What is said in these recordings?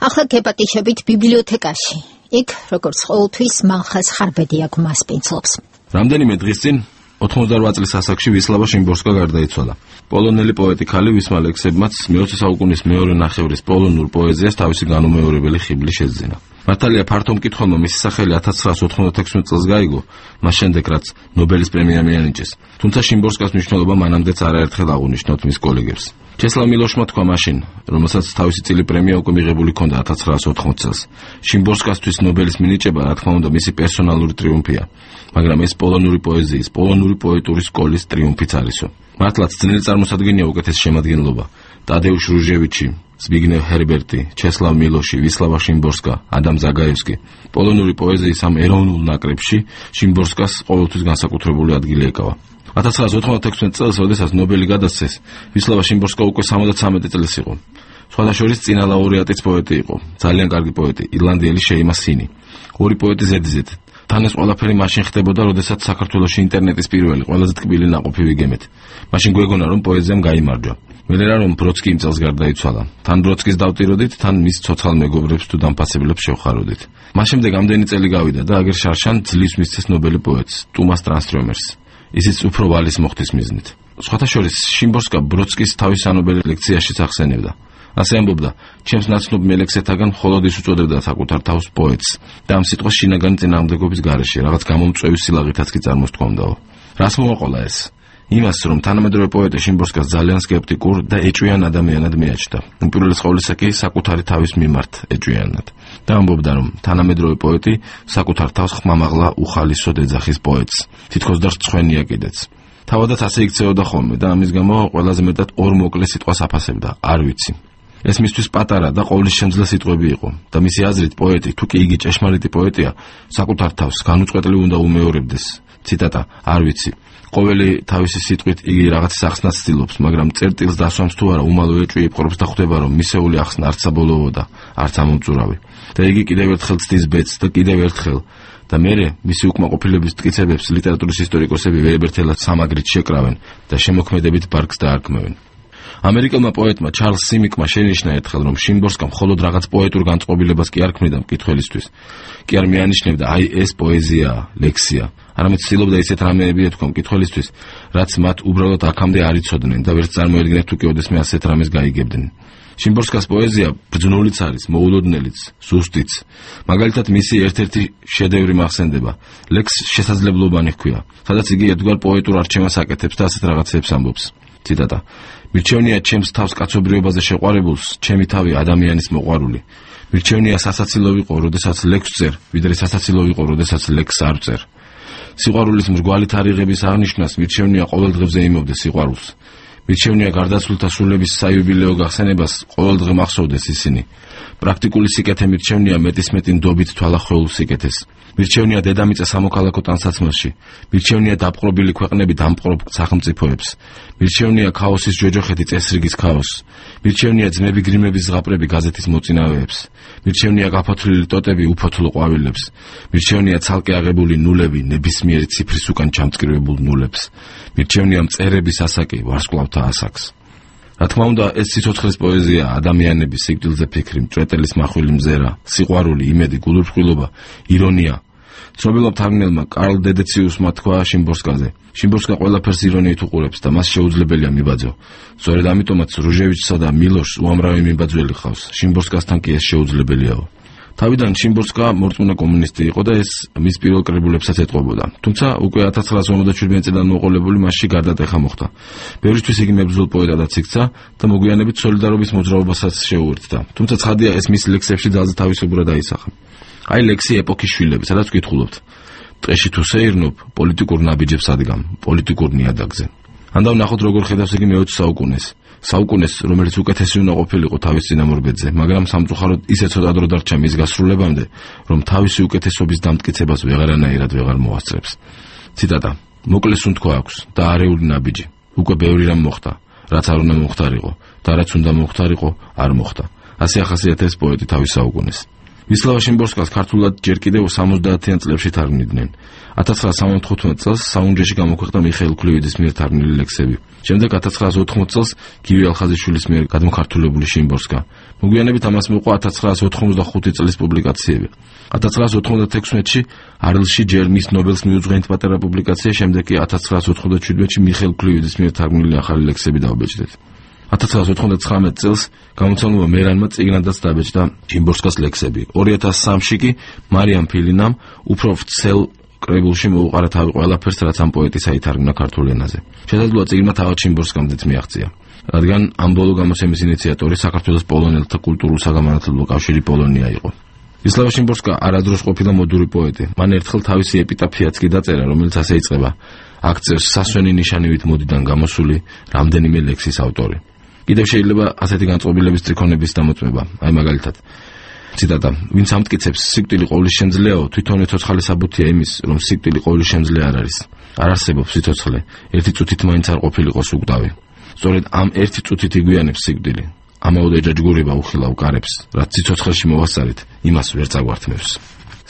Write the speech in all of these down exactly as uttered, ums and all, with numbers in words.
ახლა გეპატიშებით ბიბლიოთეკაში. იქ, როგორც ყოველთვის, მალხას ხარბედი აქვს მასპინძლობს. რამდენიმე დღის წინ ოთხმოცდაოთხ წლის ასაკში ვისლავა შიმბორსკა გარდაიცვალა. პოლონელი პოეტი ქალი ვისმა ლექსებმაც მეოცე საუკუნის მეორე ნახევრის პოლონურ პოეზიას თავისი განუმეორებელი ხიბლი შეძინა. მართალია ფართო მკითხველმა მისი სახელი ათას ცხრაას ოთხმოცდათექვსმეტ წელს გაიგო, მას შემდეგ რაც ნობელის პრემია მიანიჭეს. თუმცა შიმბორსკას მნიშვნელობა მანამდეც არაერთხელ აღუნიშნავთ მის კოლეგებს. ჩესლავ მილოშმა თქვა მაშინ, რომელსაც თავისი წილი პრემია უკვე მიღებული ჰქონდა ათას ცხრაას ოთხმოცდ წელს. შიმბორსკასთვის ნობელის მინიჭება, რა თქმა უნდა, მისი პერსონალური ტრიუმფია, მაგრამ ეს პოლონური პოეზიის, პოლონური პოეტური სკოლის ტრიუმფიც არისო. მართლაც ძნელი წარმოსადგენია უკეთეს შემადგენლობა. ტადეუშ რუჟევიჩი, ზბიგნევ ჰერბერტი, ჩესლავ მილოში, ვისლავა შიმბორსკა, ადამ ზაგაევსკი. პოლონური პოეზიის ამ ეროვნულ ნაკრებში შიმბორსკას ყოველთვის განსაკუთრებული ადგილი ეკავა. ათას ცხრაას ოთხმოცდათექვსმეტ წელს, როდესაც ნობელი გადასცეს, ვისლავა შიმბორსკა უკვე სამოცდათრამეტი წლის იყო. სხვადასხვა წინა ლაურეატიც პოეტი იყო, ძალიან კარგი პოეტი, ირლანდიელი შეიმა სინი. ორი პოეტი ზედიზედ. თან ეს ყველაფერი მაშინ ხდებოდა, როდესაც საქართველოში ინტერნეტის პირველი, ყველაზე ტკბილი ნაყოფი ვიგემეთ. მაშინ გვეგონა, რომ პოეზიამ გაიმარჯვა. მერერა რომ ბროდსკი იმ წელს გარდაიცვალა. თან ბროდსკის დავტიროდით, თან მის ცოცხალ მეგობრებს თუ დამფასებლებს შევხაროდით. მას შემდეგ ამდენი წელი გავიდა და აგერ შარშან ძლივს მისცეს ნობელი პოეტს, ტუმას ტრანსტრომერს. ისიც უფრო ვალის მოხდის მიზნით. სხვათა შორის შიმბორსკა ბროდსკის თავის ანობელი ლექციაშიც ახსენებდა. ასე ამბობდა, ჩემს ნაცნობ მელექსეთაგან მხოლოდ ის უწოდებდა საკუთარ თავს პოეტს და ამ სიტყვას შინაგანი წინააღმდეგობის გარეშე რაღაც გამომწვევი სილაღითაც კი წარმოსთქვამდაო. რას მოაყოლა ეს? იმას, რომ თანამედროვე პოეტი შიმბორსკას ძალიან სკეპტიკურ და ეჭვიან ადამიანად მიაჩნდა. უპირველეს ყოვლისა კი საკუთარი თავის მიმართ ეჭვიანად. და ამბობდა, რომ თანამედროვე პოეტი საკუთარ თავს ხმამაღლა უხალისოდ ეძახის პოეტს, თითქოს და რწხვენია კიდეც. თავადაც ასე იქცეოდა ხოლმე და ამის გამო ყველაზე მეტად ორ მოკლე სიტყვას აფასებდა, არ ვიცი. ეს მისთვის პატარა და ყოვლის შემძლე სიტყვები იყო და მისი აზრით პოეტი, თუ კი იგი ჭეშმარიტი პოეტია, საკუთარ თავს განუწყვეტლივ უნდა უმეორებდეს. ციტატა, არ ვიცი. ყოველი თავისი სიტყვით იგი რაღაც ახსნას ცდილობს, მაგრამ წერტილს დასვამს თუ არა უმალო ეჭვი იპყრობს და ხვდება, რომ მისეული ახსნა არც საბოლოო და არც ამომწურავი. და იგი კიდევ ერთხელ ცდის ბედს და კიდევ ერთხელ და მერე მისი უკმაყოფილების მტკიცებებს ლიტერატურის ისტორიკოსები ვერებერთელად სამაგრით შეკრავენ და შემოქმედებით ბარგს დაარქმევენ. ამერიკელმა პოეტმა ჩარლს სიმიკმა შენიშნა ერთხელ, რომ შიმბორსკა მხოლოდ რაღაც პოეტურ განწყობილებას კი არ ქმნიდა მკითხველისთვის. კი არ მიანიშნებდა, აი ეს პოეზიაა, ლექსია. არამედ ცდილობდა ისეთ რამეები ეთქვა მკითხველისთვის, რაც მათ უბრალოდ აქამდე არ იცოდნენ და ვერც წარმოედგინეთ თუ კი ოდესმე ასეთ რამეს გაიგებდნენ. შიმბორსკას პოეზია ბრძნულიც არის, მოულოდნელიც, ზუსტიც. მაგალითად მისი ერთ-ერთი შედევრი მახსენდება, ლექს შესაძლებლობანი ჰქვია, სადაც იგი ერთგვარ პოეტურ არჩევანს აკეთებს და ასეთ რაღაცებს ამბობს. ციტატა, მირჩევნია ჩემს თავს კაცობრიობაზე შეყვარებულს, ჩემი თავი ადამიანის მოყვარული. მირჩევნია სასაცილო ვიყო, როდესაც ლექს წერ, ვიდრე სასაცილო ვიყო, როდესაც ლექს არ წერ. სიყვარულის მრგვალი თარიღების აღნიშვნას მირჩევნია ყოველ დღეზე იმოვდე სიყვარულს. მირჩევნია გარდაცვლილთა სულების საიუბილეო გახსენებას ყოველ დღე მახსოვდეს ისინი. პრაქტიკული სიკეთე მირჩევნია მეტისმეტი ნდობით თვალახეულ სიკეთეს. მირჩევნია დედამიწა სამოქალაქო ტანსაცმელში. მირჩევნია დაპყრობილი ქვეყნები დამპყრობ სახელმწიფოებს. მირჩევნია ქაოსის ჯოჯოხეთი წესრიგის ქაოსს. მირჩევნია ძმები გრიმების ზღაპრები გაზეთის მოწინავეებს. მირჩევნია გაფოთლილი ტოტები უფოთლო ყვავილებს. მირჩევნია ცალკე აღებული ნულები ნებისმიერი ციფრის უკან ჩამწკრივებულ ნულებს. მირჩევნია მწერების ასაკი ვარსკვლავთა ასაკს. რა თქმა უნდა, ეს სიცოცხლის პოეზია, ადამიანების სიკვდილზე ფიქრი, მჭრეტელის მახვილი მზერა, სიყვარული, იმედი, გულურწყვილობა, ირონია. ცნობილმა მთარგმნელმა კარლ დედეციუსმა თქვა შიმბორსკაზე, შიმბორსკა ყველაფერს ირონიით უყურებს და მას შეუძლებელია მიბაძო. სწორედ ამიტომაც რუჟევიჩსა და მილოშს უამრავი მიბაძველი ხავს. შიმბორსკასთან კი ეს შეუძლებელიაო. თავიდან შიმბორსკა მორწმუნე კომუნისტი იყო და ეს მის პირველ კრებულებსაც ეტყობოდა. თუმცა უკვე ათას ცხრაას ორმოცდაშვიდმეტ წლიდან მოყოლებული მასში გარდატეხა მოხდა. ბევრისთვის იგი მებრძოლ პოეტადაც იქცა და მოგვიანებით სოლიდარობის მოძრაობასაც შეუერთდა. თუმცა ცხადია, ეს მის ლექსებში ძალზე თავისებურად აისახა. აი ლექსი ეპოქის შვილები, სადაც ვკითხულობთ. ტყეში თუ სეირნობ, პოლიტიკურ ნაბიჯებს ადგამ, პოლიტიკურ ნიადაგზე. ანდა ვნახოთ, როგორ ხედავს იგი მეოცე საუკუნეს. საუკუნეს, რომელიც უკეთესი უნდა ყოფილიყო თავის წინამორბედზე, მაგრამ სამწუხაროდ ისე ცოტა დრო დარჩა მის გასრულებამდე, რომ თავისი უკეთესობის დამტკიცებას ვეღარანაირად ვეღარ მოასწრებს. ციტატა, მოკლეს უნთქვა აქვს და არეული ნაბიჯი. უკვე ბევრი რამ მოხდა, რაც არ უნდა მოხდარიყო და რაც უნდა მოხდარიყო, არ მოხდა. ასე ახასიათებს პოეტი თავის საუკუნეს. ვისლავა შიმბორსკას ქართულად ჯერ კიდევ სამოცდაათიან წლებში თარგმნიდნენ. ათას ცხრაას სამოცდათხუთმეტ წელს საუნჯეში გამოქვეყნდა მიხეილ ქლივიდის მიერ თარგმნილი ლექსები. შემდეგ ათას ცხრაას ოთხმოცდ წელს გივი ალხაზიშვილის მიერ გადმოქართულებული შიმბორსკა. მოგვიანებით ამას მოყვა ათას ცხრაას ოთხმოცდახუთი წლის პუბლიკაციები. ათას ცხრაას ოთხმოცდათექვსმეტში არლში ჯერ მის ნობელს მიუძღვენით პატარა პუბლიკაცია, შემდეგ კი ათას ცხრაას ოთხმოცდაშვიდმეტში მიხეილ ქლივიდის მიერ თარგმნილი ახალი ლექსები დავბეჭდეთ. ათას ცხრაას ოთხმოცდაცხრამეტ წელს გამოცემულმა მერანმა წიგნადაც დაბეჭდა შიმბორსკას ლექსები. ორი ათას სამში კი მარიამ ფილინამ უფრო ვრცელ კრებულში მოუყარა თავი ყველაფერს, რაც ამ პოეტის აითარგმნა ქართულ ენაზე. შესაძლოა წიგნმა თავად შიმბორსკამდეც მიაღწია, რადგან ამ ბოლო გამოცემის ინიციატორი საქართველოს პოლონელთა კულტურულ-საგამანათლებლო კავშირი პოლონია იყო. ვისლავა შიმბორსკა არადროს ყოფილა მოდური პოეტი. მან ერთხელ თავისი ეპიტაფიაც კი დაწერა, რომელიც ასე იწყება: აქცევს სასვენი ნიშანივით მოდიდან გამოსული რამდენიმე ლექსის ავტორი. კიდევ შეიძლება ასეთი განწყობილების ტრიქონების დამოწმება. აი მაგალითად, ციტატა: ვინც ამტკიცებს სიკვდილი ყოვლის შემძლეაო, თვითონვე ცოცხალი საბუთია იმის, რომ სიკვდილი ყოვლის შემძლე არ არის. არ არსებობს სიცოცხლე, ერთი წუთით მაინც არ ყოფილიყოს უკვდავი. სწორედ ამ ერთი წუთით იგვიანებს სიკვდილი. ამაოდ ეჯაჯგურება უხილავ კარებს, რაც სიცოცხლეში მოვასწარით, იმას ვერ წაგვართმევს.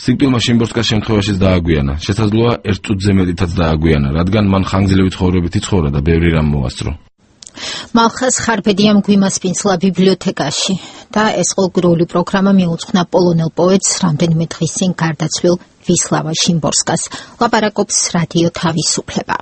სიკვდილმა შიმბორსკას შემთხვევაშიც დააგვიანა. შესაძლოა ერთ წუთზე მეტითაც დააგვიანა, რადგან მან ხანგრძლივი ცხოვრებით იცხოვრა და ბევრი რამ მოასწრო. მალხაზ ხარბედიამ გვიმასპინძლა ბიბლიოთეკაში და ეს ყოველდღიური პროგრამა მიუძღვნა პოლონელ პოეტს რამდენიმე დღის წინ გარდაცვლილ ვისლავა შიმბორსკას. ლაპარაკობს რადიო თავისუფლება.